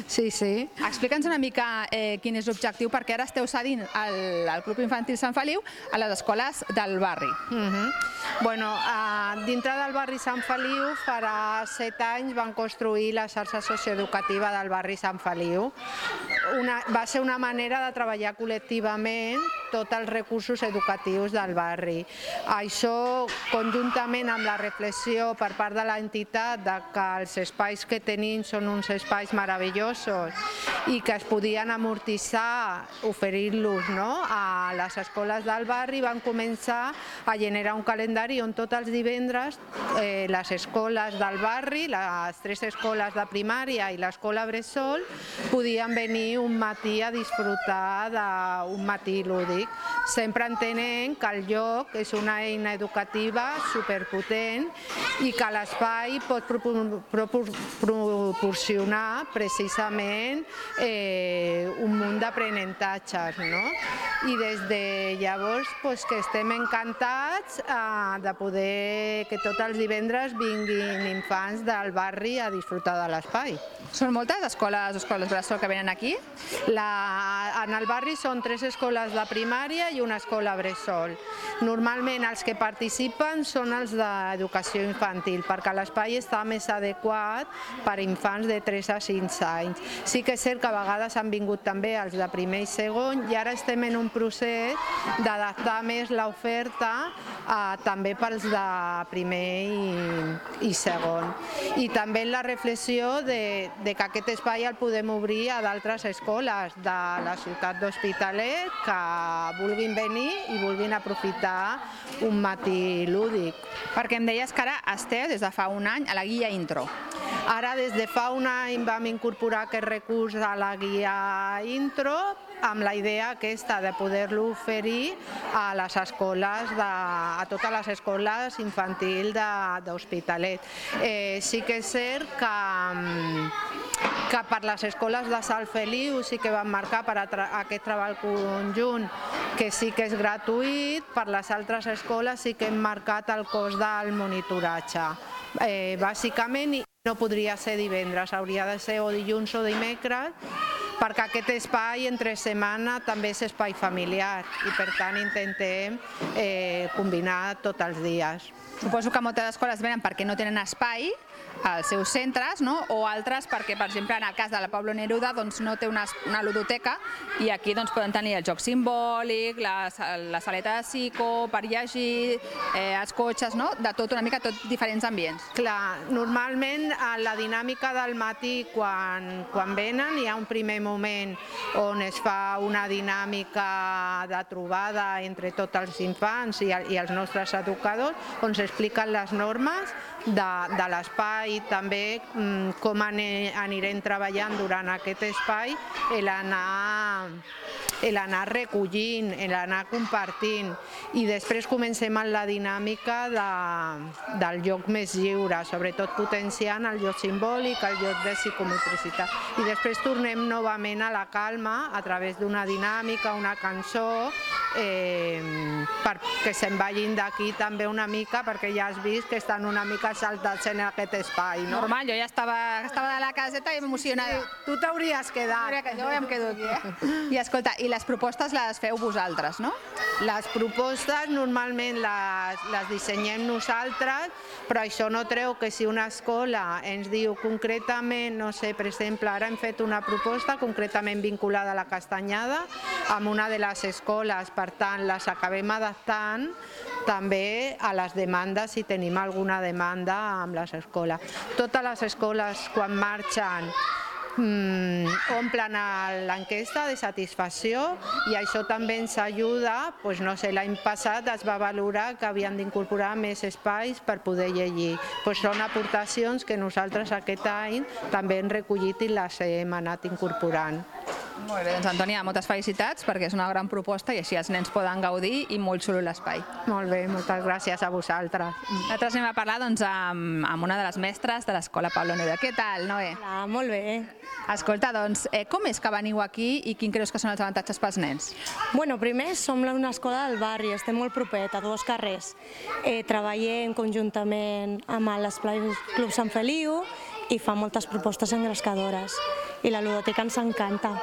Sí, sí. Explica'ns una mica eh, quin és l'objectiu, perquè ara esteu cedint al, al Club Infantil Sant Feliu a les escoles del barri. Uh -huh. Bueno, uh, dintre del barri Sant Feliu, farà set anys van construir la xarxa socioeducativa del barri Sant Feliu. Una, va ser una manera de treballar col·lectivament tots els recursos educatius del barri. Això, conjuntament amb la reflexió per part de l'entitat de que els espais que tenim són uns espais meravellosos i que es podien amortitzar oferint-los, no, a les escoles del barri, van començar a generar un calendari on tots els divendres eh, les escoles del barri, les tres escoles de primària i l'escola bressol, podien venir un matí a disfrutar d'un matí lúdic, sempre entenent que el lloc és una eina educativa superpotent i que l'espai pot proporcionar precisament eh, un munt d'aprenentatges, no? I des de llavors pues, que estem encantats eh, de poder que tots els divendres vinguin infants del barri a disfrutar de l'espai. Són moltes escoles, escoles bressol que venen aquí? La, en el barri són tres escoles de primària i una escola bressol. Normalment els que participen són els d'educació infantil, perquè l'espai està més adequat per a infants de tres a cinc anys. Sí que és cert cert que a vegades han vingut també els de primer i segon i ara estem en un procés d'adaptar més l'oferta també pels de primer i segon. I també la reflexió de que aquest espai el podem obrir a d'altres escoles de la ciutat d'Hospitalet que vulguin venir i vulguin aprofitar un matí lúdic. Perquè em deies que ara esteu des de fa un any a la guia Intro. Ara des de fa un any vam incorporar aquest recurs a la guia Intro amb la idea aquesta de poder-lo oferir a les escoles, a totes les escoles infantils d'Hospitalet. Sí que és cert que que per les escoles de Sant Feliu sí que van marcar per aquest treball conjunt que sí que és gratuït, per les altres escoles sí que hem marcat el cost del monitoratge. Bàsicament no podria ser divendres, hauria de ser o dilluns o dimecres, perquè aquest espai entre setmana també és espai familiar i per tant intentem combinar tots els dies. Suposo que moltes escoles venen perquè no tenen espai als seus centres, o altres perquè, per exemple, en el cas de la Pablo Neruda no té una ludoteca i aquí poden tenir el joc simbòlic, la saleta de psico, per llegir, els cotxes, de tot, una mica tot diferents ambients. Clar, normalment la dinàmica del matí quan venen hi ha un primer moment on es fa una dinàmica de trobada entre tots els infants i els nostres educadors on s'expliquen les normes de l'espai i també com anirem treballant durant aquest espai l'anar recollint, l'anar compartint i després comencem amb la dinàmica del joc més lliure, sobretot potenciant el joc simbòlic, el joc de psicomotricitat i després tornem novament a la calma a través d'una dinàmica, una cançó perquè se'n vagin d'aquí també una mica perquè ja has vist que estan una mica saltats en aquest espai. Normal, jo ja estava de la caseta i emocionada. Tu t'hauries quedat. Jo ja em quedo aquí. I escolta, i les propostes les feu vosaltres, no? Les propostes normalment les dissenyem nosaltres, però això no treu que si una escola ens diu concretament, no sé, per exemple, ara hem fet una proposta concretament vinculada a la Castanyada amb una de les escoles, per tant, les acabem adaptant també a les demandes si tenim alguna demanda amb les escoles. Totes les escoles quan marxen omplen l'enquesta de satisfacció i això també ens ajuda, no sé, l'any passat es va valorar que havien d'incorporar més espais per poder llegir. Són aportacions que nosaltres aquest any també hem recollit i les hem anat incorporant. Molt bé, doncs Antònia, moltes felicitats perquè és una gran proposta i així els nens poden gaudir i molt xulo l'espai. Molt bé, moltes gràcies a vosaltres. Nosaltres anem a parlar amb una de les mestres de l'Escola Pablo Neruda. Què tal, Noé? Hola, molt bé. Escolta, doncs, com és que veniu aquí i quin creus que són els avantatges pels nens? Bueno, primer som una escola del barri, estem molt propet, a dos carrers. Treballem conjuntament amb l'Esplai Club Sant Feliu i fa moltes propostes engrescadores i la ludoteca ens encanta.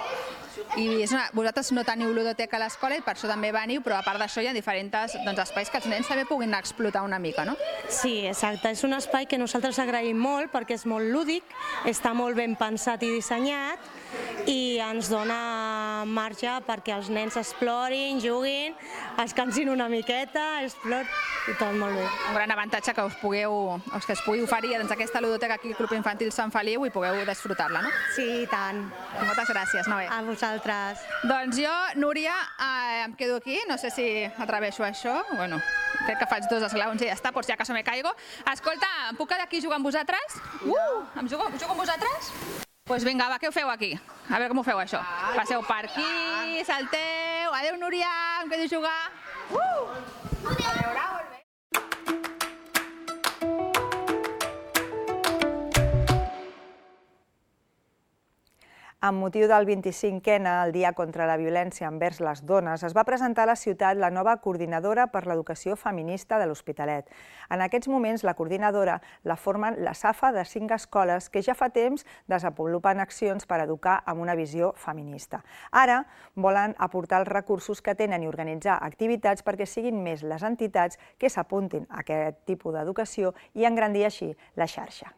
I vosaltres no teniu ludoteca a l'escola i per això també veniu, però a part d'això hi ha diferents espais que els nens també puguin explotar una mica, no? Sí, exacte. És un espai que nosaltres agraïm molt perquè és molt lúdic, està molt ben pensat i dissenyat i ens dona marge perquè els nens explorin, juguin, es cansin una miqueta, explorin i tot molt bé. Un gran avantatge que us pugueu, que es pugui oferir aquesta ludoteca aquí al Club Infantil Sant Feliu i pugueu desfrutar-la, no? Sí, i tant. Moltes gràcies, Noé. A vosaltres. Doncs jo, Núria, em quedo aquí, no sé si atreveixo això, bueno, crec que faig dos esglaons i ja està, per si acaso me caigo. Escolta, em puc quedar aquí jugant amb vosaltres? Uh, em jugo, jugo amb vosaltres? Doncs vinga, va, què ho feu aquí? A veure com ho feu, això. Passeu per aquí, salteu... Adéu, Núria, em quedo a jugar. Uh! A veure, molt bé. Amb motiu del vint-i-cinquè, el Dia contra la Violència envers les Dones, es va presentar a la ciutat la nova coordinadora per l'educació feminista de l'Hospitalet. En aquests moments, la coordinadora la formen la SAFA de cinc escoles que ja fa temps desenvolupen accions per educar amb una visió feminista. Ara volen aportar els recursos que tenen i organitzar activitats perquè siguin més les entitats que s'apuntin a aquest tipus d'educació i engrandir així la xarxa.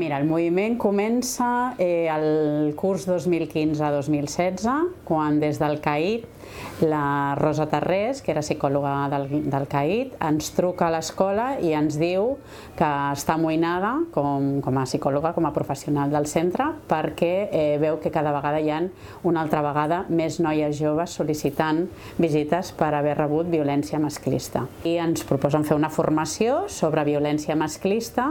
Mira, el moviment comença el curs dos mil quinze dos mil setze, quan des del C A I T la Rosa Tarrés, que era psicòloga del, del C A I T, ens truca a l'escola i ens diu que està amoïnada com, com a psicòloga, com a professional del centre, perquè eh, veu que cada vegada hi ha una altra vegada més noies joves sol·licitant visites per haver rebut violència masclista. I ens proposen fer una formació sobre violència masclista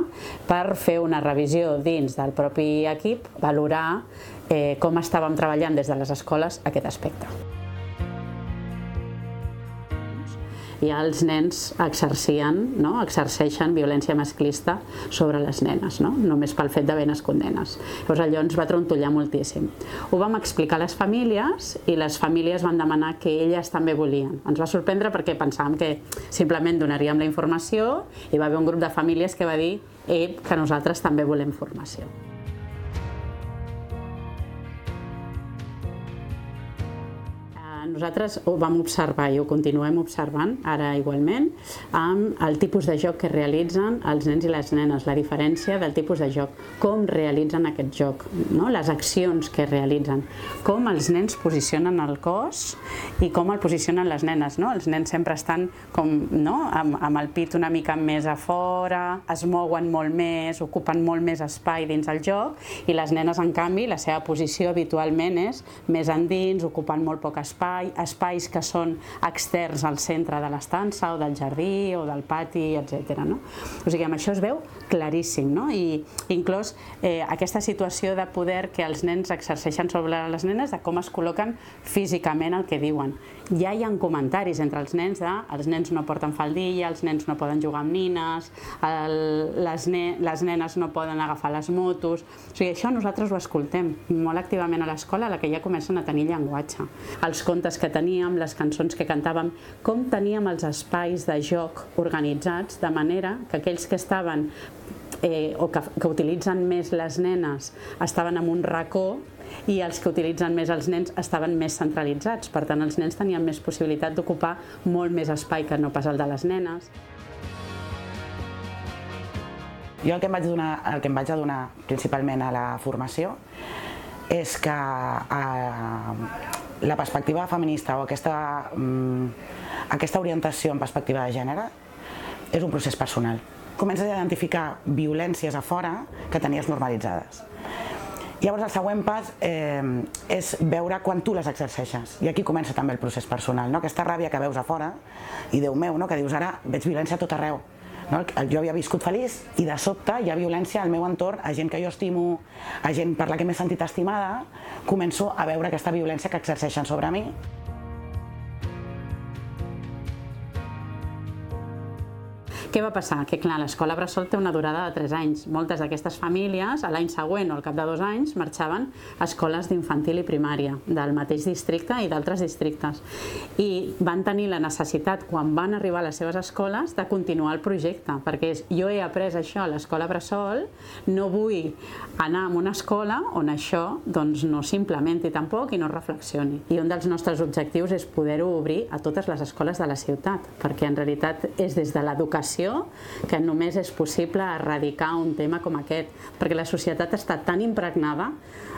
per fer una revisió dins del propi equip, valorar eh, com estàvem treballant des de les escoles aquest aspecte. I els nens exercien, no? exerceixen violència masclista sobre les nenes, no? només pel fet d'haver nascut nenes. Llavors allò ens va trontollar moltíssim. Ho vam explicar a les famílies i les famílies van demanar que elles també volien. Ens va sorprendre perquè pensàvem que simplement donaríem la informació i va haver un grup de famílies que va dir eh, que nosaltres també volem formació. Nosaltres ho vam observar i ho continuem observant, ara igualment, amb el tipus de joc que realitzen els nens i les nenes, la diferència del tipus de joc, com realitzen aquest joc, no? les accions que realitzen, com els nens posicionen el cos i com el posicionen les nenes. No? Els nens sempre estan com, no? amb, amb el pit una mica més a fora, es mouen molt més, ocupen molt més espai dins el joc, i les nenes, en canvi, la seva posició habitualment és més endins, ocupant molt poc espai, espais que són externs al centre de l'estança o del jardí o del pati, etcètera. No? O sigui, amb això es veu claríssim, no? I inclús eh, aquesta situació de poder que els nens exerceixen sobre les nenes, de com es col·loquen físicament el que diuen. Ja hi ha comentaris entre els nens de els nens no porten faldilla, els nens no poden jugar amb nines, el, les, ne les nenes no poden agafar les motos. O sigui, això nosaltres ho escoltem molt activament a l'escola, a la que ja comencen a tenir llenguatge. Els contes que teníem, les cançons que cantàvem, com teníem els espais de joc organitzats de manera que aquells que estaven eh, o que, que utilitzen més les nenes estaven en un racó i els que utilitzen més els nens estaven més centralitzats. Per tant, els nens tenien més possibilitat d'ocupar molt més espai que no pas el de les nenes. Jo el que em vaig donar, el que em vaig adonar principalment a la formació és que eh, la perspectiva feminista o aquesta, mm, aquesta orientació en perspectiva de gènere és un procés personal. Comences a identificar violències a fora que tenies normalitzades. Llavors el següent pas eh, és veure quan tu les exerceixes, i aquí comença també el procés personal, no? Aquesta ràbia que veus a fora, i Déu meu, no? Que dius ara veig violència a tot arreu. No? Jo havia viscut feliç i de sobte hi ha violència al meu entorn, a gent que jo estimo, a gent per la que m'he sentit estimada, començo a veure aquesta violència que exerceixen sobre mi. Què va passar? Que clar, l'escola bressol té una durada de tres anys. Moltes d'aquestes famílies, a l'any següent o al cap de dos anys, marxaven a escoles d'infantil i primària, del mateix districte i d'altres districtes. I van tenir la necessitat, quan van arribar a les seves escoles, de continuar el projecte, perquè és, jo he après això a l'escola bressol, no vull anar a una escola on això doncs, no s'implementi tampoc i no reflexioni. I un dels nostres objectius és poder-ho obrir a totes les escoles de la ciutat, perquè en realitat és des de l'educació que només és possible erradicar un tema com aquest, perquè la societat està tan impregnada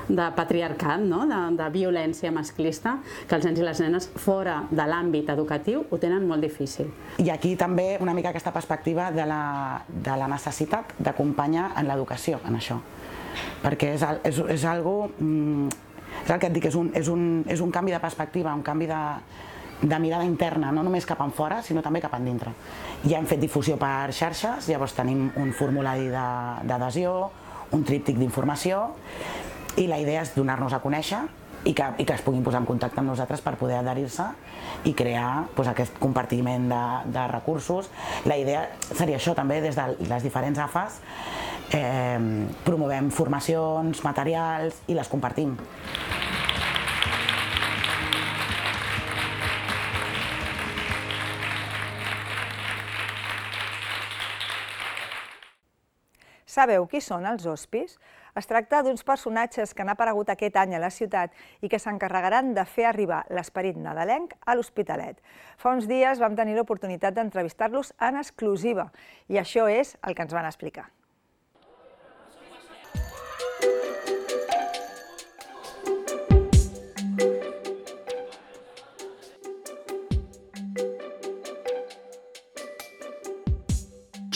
de patriarcat, no? de, de violència masclista, que els nens i les nenes fora de l'àmbit educatiu ho tenen molt difícil. I aquí també una mica aquesta perspectiva de la, de la necessitat d'acompanyar en l'educació, en això. Perquè és, és, és algo, és el que et dic, és un, és un, és un canvi de perspectiva, un canvi de, de mirada interna, no només cap enfora, sinó també cap endintre. Ja hem fet difusió per xarxes, llavors tenim un formulari d'adhesió, un tríptic d'informació, i la idea és donar-nos a conèixer i que, i que es puguin posar en contacte amb nosaltres per poder adherir-se i crear doncs, aquest compartiment de, de recursos. La idea seria això també, des de les diferents A F As, eh, promovem formacions, materials i les compartim. Sabeu qui són els hospis? Es tracta d'uns personatges que han aparegut aquest any a la ciutat i que s'encarregaran de fer arribar l'esperit nadalenc a l'Hospitalet. Fa uns dies vam tenir l'oportunitat d'entrevistar-los en exclusiva i això és el que ens van explicar.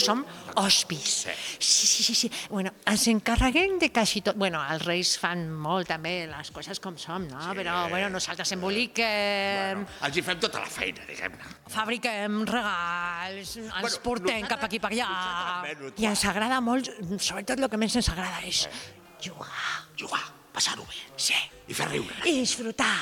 som hospis. Sí, sí, sí, sí. Bueno, ens encarreguem de quasi tot. Bueno, els reis fan molt també les coses com som, no? Però, bueno, nosaltres emboliquem... Els hi fem tota la feina, diguem-ne. Fabriquem regals, ens portem cap aquí per allà. I ens agrada molt, sobretot el que més ens agrada és jugar. Jugar, passar-ho bé. Sí. I fer riure. I disfrutar.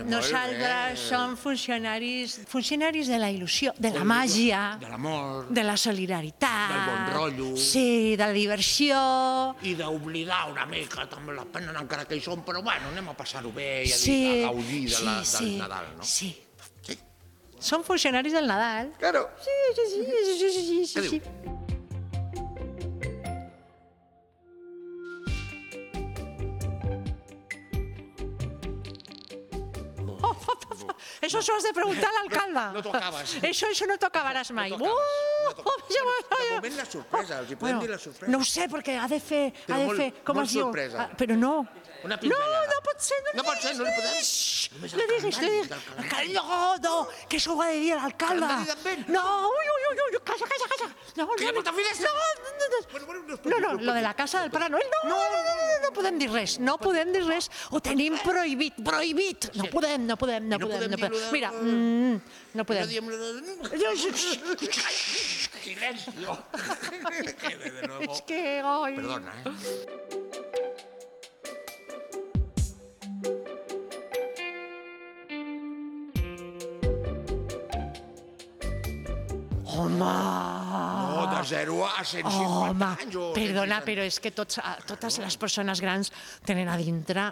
Nosaltres som funcionaris, funcionaris de la il·lusió, de la màgia, de l'amor, de la solidaritat, del bon rotllo, sí, de la diversió. I d'oblidar una mica també la pena, encara que hi som, però bueno, anem a passar-ho bé i a, sí, dir, a gaudir de la, sí, del sí, Nadal, no? Sí. Sí. Som funcionaris del Nadal. Claro. Sí, sí, sí, sí, sí, sí, sí. Què diu? Eso s'ho has de preguntar a l'alcalde. No t'ho acabes. Això, això no t'ho acabaràs mai. No t'ho acabes. De moment la sorpresa, els hi podem dir la sorpresa. No ho sé, perquè ha de fer... Ha de fer, com es diu? Però no. Una No, pinzellada. no pot ser. No pot ser, no li podem... No diguis, no diguis. No, no, que això ho ha de dir l'alcalde. No, ui, ui, ui, ui, calla, calla, calla. Que hi ha molta finestra. No, no, lo de la casa del Pare Noel, no, no, no, no podem dir res, no podem dir res, ho tenim prohibit, prohibit. No podem, no podem, no podem, no podem. Mira, no podem. Silencio. És que, oi... Perdona, eh? Home! No, de zero a cent cinquanta anys. Home, perdona, però és que tots, totes les persones grans tenen a dintre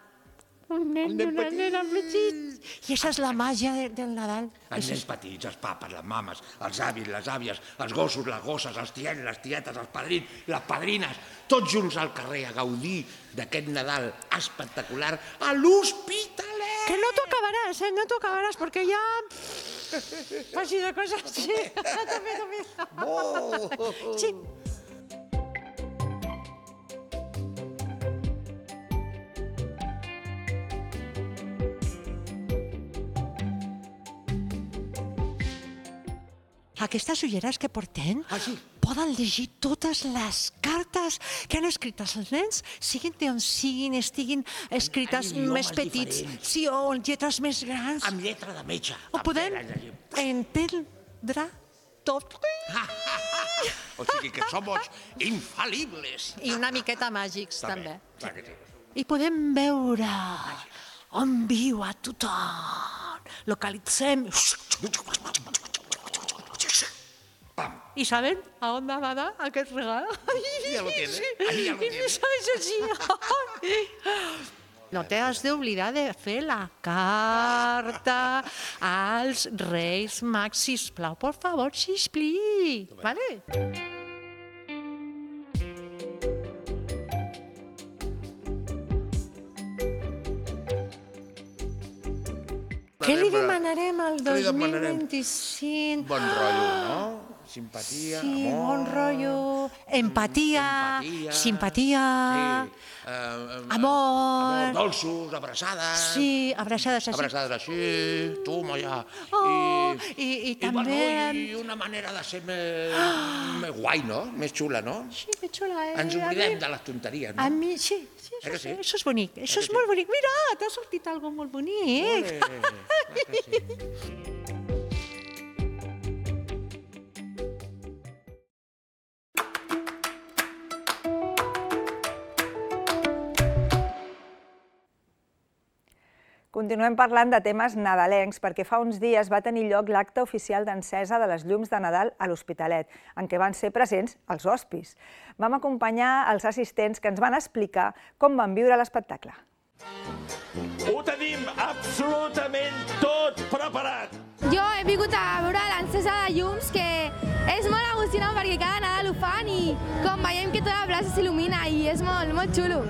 un nen i una nena petits. I això és la màgia del Nadal. Els nens petits, els papes, les mames, els avis, les àvies, els gossos, les gosses, els tiets, les tietes, els padrins, les padrines, tots junts al carrer a gaudir d'aquest Nadal espectacular a l'Hospitalet. Que no t'ho acabaràs, eh? No t'ho acabaràs, perquè ja... Faci de coses, sí. També, també. Sí. Aquestes ulleres que portem poden llegir totes les cartes que han escrit els nens, siguin d'on siguin, estiguin escrites més petits, sí, o en lletres més grans. Amb lletra de metge. Ho podem entendre tot. O sigui que somos infal·libles. I una miqueta màgics, també. també. I podem veure on viu a tothom. Localitzem... ¿Y saben a dónde va a dar aquest regal? Ya lo tiene. Sí. Ahí ya lo I tiene. me sabes així. No t'has d'oblidar de fer la carta als Reis Mags, sisplau, por favor, sispli. Vale? Què li demanarem al dos mil vint-i-cinc? Bon rotllo, no? Simpatia, sí, amor... bon rotllo, empatia, empatia simpatia, sí, eh, amor... amor, dolços, abraçades... Sí, abraçades així. Abraçades així, toma ja... Oh, i, i, i també... I, I una manera de ser més, més guai, no? Més xula, no? Sí, més xula. Eh? Ens oblidem de les tonteries, no? A mi, sí, sí, això, Eh que sí? això és bonic, això és molt bonic. Mira, t'ha sortit algo molt bonic. Ole, clar que sí. Continuem parlant de temes nadalencs perquè fa uns dies va tenir lloc l'acte oficial d'encesa de les llums de Nadal a l'Hospitalet, en què van ser presents els hospis. Vam acompanyar els assistents que ens van explicar com van viure l'espectacle. Ho tenim absolutament tot preparat. Jo he vingut a veure l'encesa de llums, que és molt emocionant perquè cada Nadal ho fan i com veiem que tota la plaça s'il·lumina i és molt, molt xulo.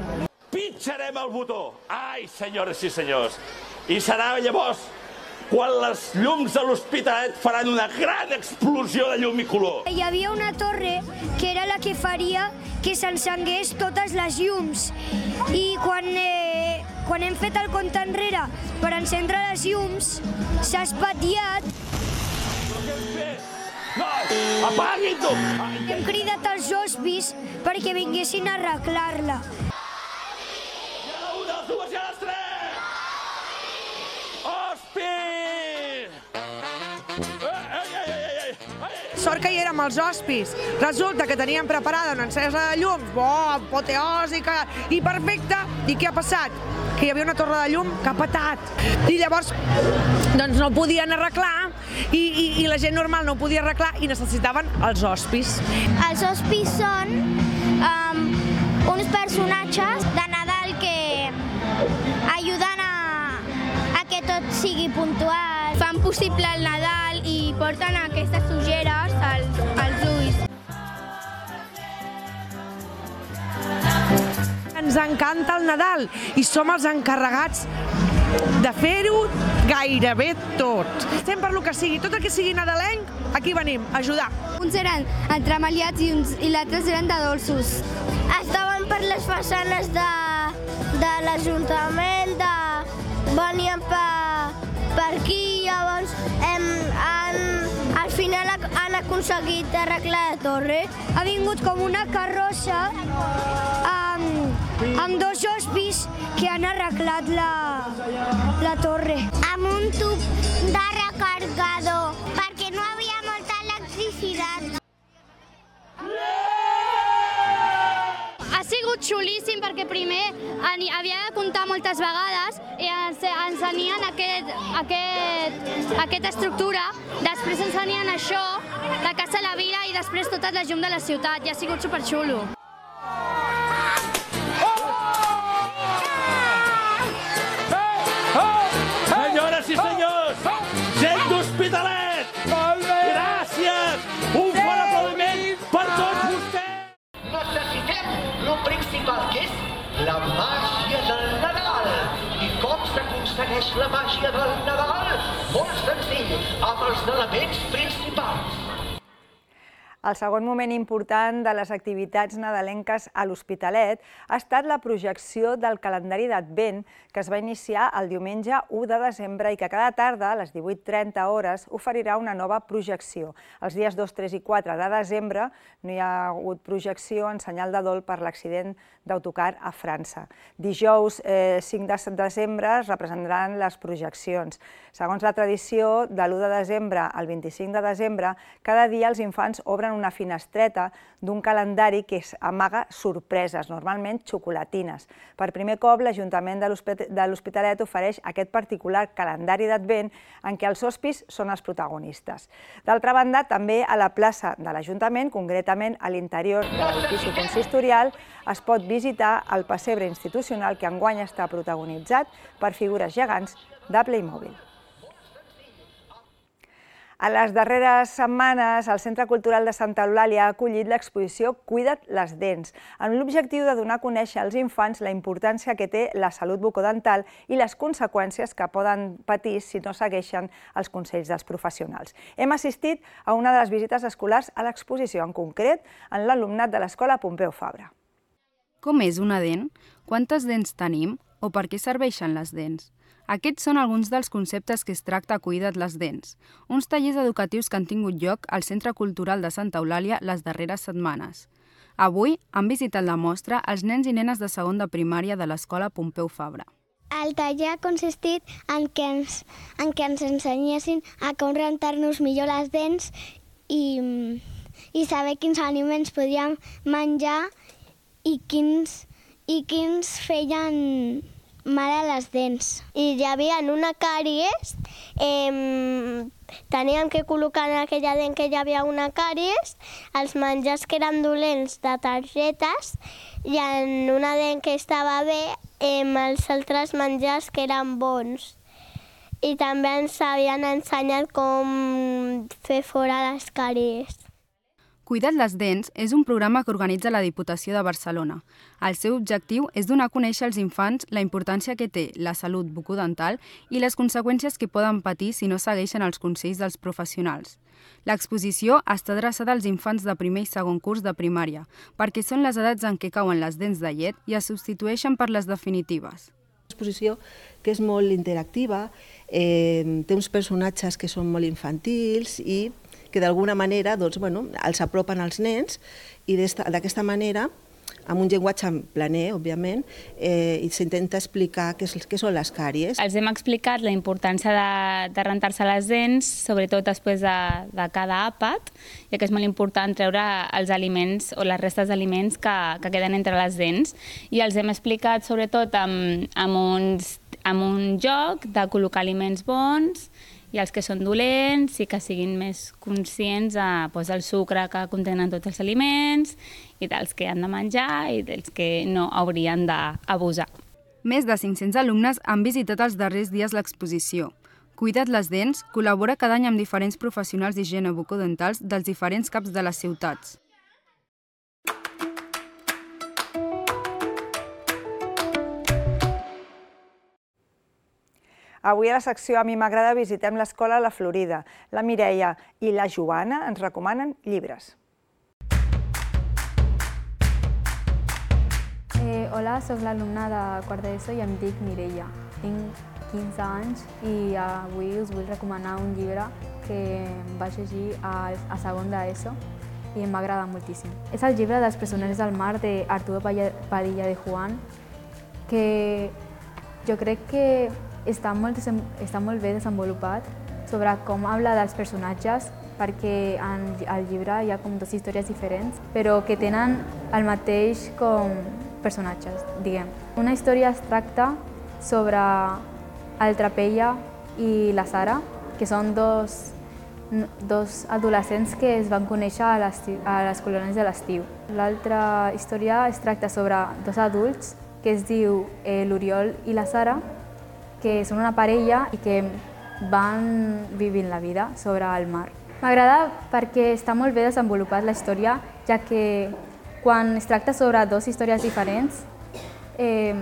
Pitjarem el botó. Ai, senyores i senyors. I serà llavors quan les llums de l'Hospitalet faran una gran explosió de llum i color. Hi havia una torre que era la que faria que s'encengués totes les llums. I quan, eh, quan hem fet el compte enrere per encendre les llums, s'ha espatllat. No, apaguin-ho! Hem cridat els hospis perquè vinguessin a arreglar-la. Una, dues i a les tres! Hospi! Sort que hi érem els hospis. Resulta que teníem preparada una encesa de llums, bo, apoteòsica i perfecta. I què ha passat? Que hi havia una torre de llum que ha petat. I llavors doncs no ho podien arreglar i, i, i la gent normal no ho podia arreglar i necessitaven els hospis. Els hospis són um, uns personatges de Nadal que ajuden a, a que tot sigui puntual. Fan possible el Nadal i porten aquestes ulleres als, als ulls. Ens encanta el Nadal i som els encarregats de fer-ho gairebé tot. Estem per lo que sigui, tot el que sigui nadalenc, aquí venim, a ajudar. Uns eren entremaliats i, uns, i l'altres eren de dolços. Estaven per les façanes de, de l'Ajuntament, de... venien per, per aquí, llavors hem, han, al final han aconseguit arreglar la torre. Ha vingut com una carrossa amb, amb dos hospis que han arreglat la, la torre. Amb un tub de recargador, perquè no havia molta electricitat. Ha sigut xulíssim perquè primer havia de comptar moltes vegades i ens ensenien aquest, aquest, aquesta estructura, després ensenien això, la Casa de la Vila i després tota la llum de la ciutat i ha sigut superxulo. Senyores i senyors, gent d'Hospitalet, gràcies! Un fort aplaudiment per tots vostès! Necessitem lo principal, que és la màgia del Nadal. I com s'aconsegueix la màgia del Nadal? Molt senzill, amb els elements principals. El segon moment important de les activitats nadalenques a l'Hospitalet ha estat la projecció del calendari d'Advent que es va iniciar el diumenge u de desembre i que cada tarda, a les divuit trenta hores, oferirà una nova projecció. Els dies dos, tres i quatre de desembre no hi ha hagut projecció en senyal de dol per l'accident d'autocar a França. Dijous eh, cinc de desembre es representaran les projeccions. Segons la tradició, de l'u de desembre al vint-i-cinc de desembre, cada dia els infants obren una finestreta d'un calendari que amaga sorpreses, normalment xocolatines. Per primer cop, l'Ajuntament de l'Hospitalet ofereix aquest particular calendari d'Advent en què els hospis són els protagonistes. D'altra banda, també a la plaça de l'Ajuntament, concretament a l'interior de l'edifici consistorial, es pot visitar el pessebre institucional que enguany està protagonitzat per figures gegants de Playmobil. A les darreres setmanes, el Centre Cultural de Santa Eulàlia ha acollit l'exposició Cuida't les dents, amb l'objectiu de donar a conèixer als infants la importància que té la salut bucodental i les conseqüències que poden patir si no segueixen els consells dels professionals. Hem assistit a una de les visites escolars a l'exposició, en concret en l'alumnat de l'Escola Pompeu Fabra. Com és una dent? Quantes dents tenim? O per què serveixen les dents? Aquests són alguns dels conceptes que es tracta a Cuida't les dents, uns tallers educatius que han tingut lloc al Centre Cultural de Santa Eulàlia les darreres setmanes. Avui han visitat la mostra els nens i nenes de segon de primària de l'Escola Pompeu Fabra. El taller ha consistit en que ens, en que ens ensenyessin a com rentar-nos millor les dents i, i saber quins aliments podíem menjar i quins, i quins feien mal a les dents. I hi havia una càries, eh, teníem que col·locar en aquella dent que hi havia una càries, els menjars que eren dolents de targetes i en una dent que estava bé, eh, els altres menjars que eren bons. I també ens havien ensenyat com fer fora les càries. Cuida't les dents és un programa que organitza la Diputació de Barcelona. El seu objectiu és donar a conèixer als infants la importància que té la salut bucodental i les conseqüències que poden patir si no segueixen els consells dels professionals. L'exposició està adreçada als infants de primer i segon curs de primària, perquè són les edats en què cauen les dents de llet i es substitueixen per les definitives. Una exposició que és molt interactiva, eh, té uns personatges que són molt infantils i que d'alguna manera doncs, bueno, els apropen als nens i d'aquesta manera, amb un llenguatge planer, òbviament, eh, s'intenta explicar què, què són les càries. Els hem explicat la importància de, de rentar-se les dents, sobretot després de, de cada àpat, ja que és molt important treure els aliments o les restes d'aliments que, que queden entre les dents. I els hem explicat sobretot amb, amb, uns, amb un joc de col·locar aliments bons i els que són dolents i que siguin més conscients de, doncs, del sucre que contenen tots els aliments i dels que han de menjar i dels que no haurien d'abusar. Més de cinc-cents alumnes han visitat els darrers dies l'exposició. Cuida't les dents col·labora cada any amb diferents professionals d'higiene bucodentals dels diferents caps de les ciutats. Avui a la secció A mi m'agrada visitem l'escola La Florida. La Mireia i la Joana ens recomanen llibres. Eh, hola, soc l'alumna de quart d'ESO i em dic Mireia. Tinc quinze anys i avui us vull recomanar un llibre que vaig llegir a, a segon d'ESO i em va agradar moltíssim. És el llibre dels presoners del mar d'Arturo Padilla de Juan, que jo crec que està molt, està molt bé desenvolupat sobre com habla dels personatges, perquè en el llibre hi ha com dues històries diferents, però que tenen el mateix com personatges, diguem. Una història es tracta sobre el Trapella i la Sara, que són dos, dos adolescents que es van conèixer a les, a les colònies de l'estiu. L'altra història es tracta sobre dos adults que es diu eh, l'Oriol i la Sara, que són una parella i que van vivint la vida sobre el mar. M'agrada perquè està molt bé desenvolupat la història, ja que quan es tracta sobre dues històries diferents eh,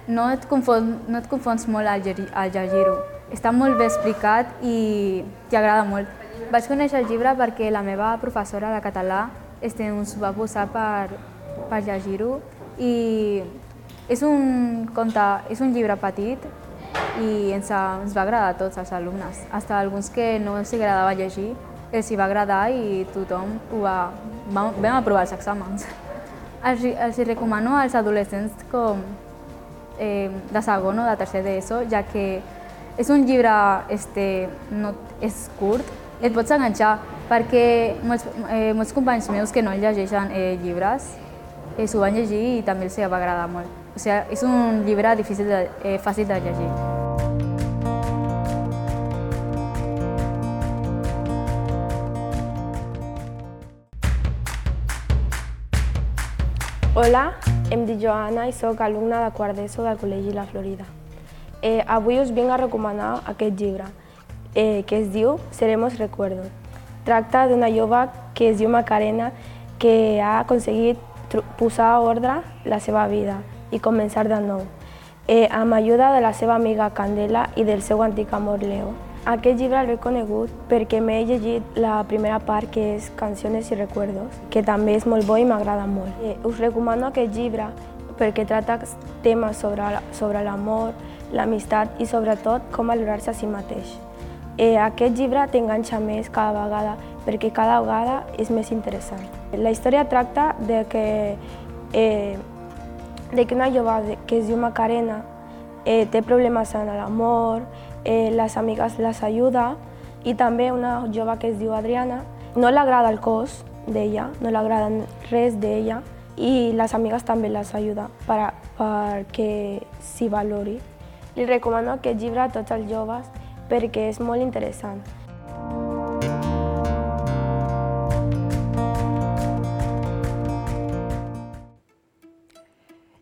no, et confon, no et confons molt al, al llegir-ho. Està molt bé explicat i t'agrada molt. Vaig conèixer el llibre perquè la meva professora de català este, ens va posar per, per llegir-ho i és un, conte, és un llibre petit i ens, ens va agradar a tots els alumnes. Fins alguns que no els agradava llegir, els hi va agradar i tothom ho va, vam, vam aprovar els exàmens. Els, els recomano als adolescents com eh, de segon o de tercer d'ESO, ja que és un llibre este, no, és curt, et pots enganxar, perquè molts, eh, molts companys meus que no llegeixen eh, llibres eh, s'ho van llegir i també els va agradar molt. O sigui, és un llibre difícil de, eh, fàcil de llegir. Hola, em dic Joana i soc alumna de quart d'ESO del Col·legi La Florida. Eh, avui us vinc a recomanar aquest llibre, eh, que es diu Seremos Recuerdos. Tracta d'una jove que es diu Macarena, que ha aconseguit posar a ordre la seva vida i començar de nou, eh, amb ajuda de la seva amiga Candela i del seu antic amor Leo. Aquest llibre l'he conegut perquè m'he llegit la primera part, que és Canciones y Recuerdos, que també és molt bo i m'agrada molt. Eh, us recomano aquest llibre perquè tracta temes sobre, sobre l'amor, l'amistat i sobretot com valorar-se a si mateix. Eh, aquest llibre t'enganxa més cada vegada perquè cada vegada és més interessant. La història tracta de que eh, de que una jove que es diu Macarena eh, té problemes en l'amor, eh, les amigues les ajuda i també una jove que es diu Adriana. No li agrada el cos d'ella, no li agrada res d'ella i les amigues també les ajuda per, perquè s'hi valori. Li recomano aquest llibre a tots els joves perquè és molt interessant.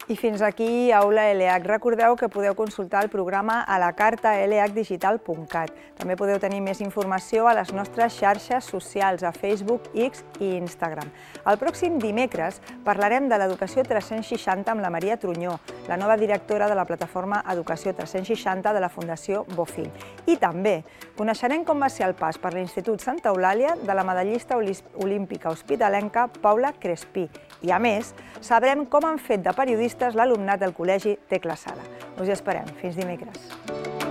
I fins aquí Aula L H. Recordeu que podeu consultar el programa a la carta l h digital punt cat. També podeu tenir més informació a les nostres xarxes socials, a Facebook, X i Instagram. El pròxim dimecres parlarem de l'Educació tres-cents seixanta amb la Maria Trunyó, la nova directora de la plataforma Educació tres-cents seixanta de la Fundació Bofill. I també coneixerem com va ser el pas per l'Institut Santa Eulàlia de la medallista olímpica hospitalenca Paula Crespí. I, a més, sabrem com han fet de periodistes l'alumnat del Col·legi Tecla Sala. Us hi esperem. Fins dimecres.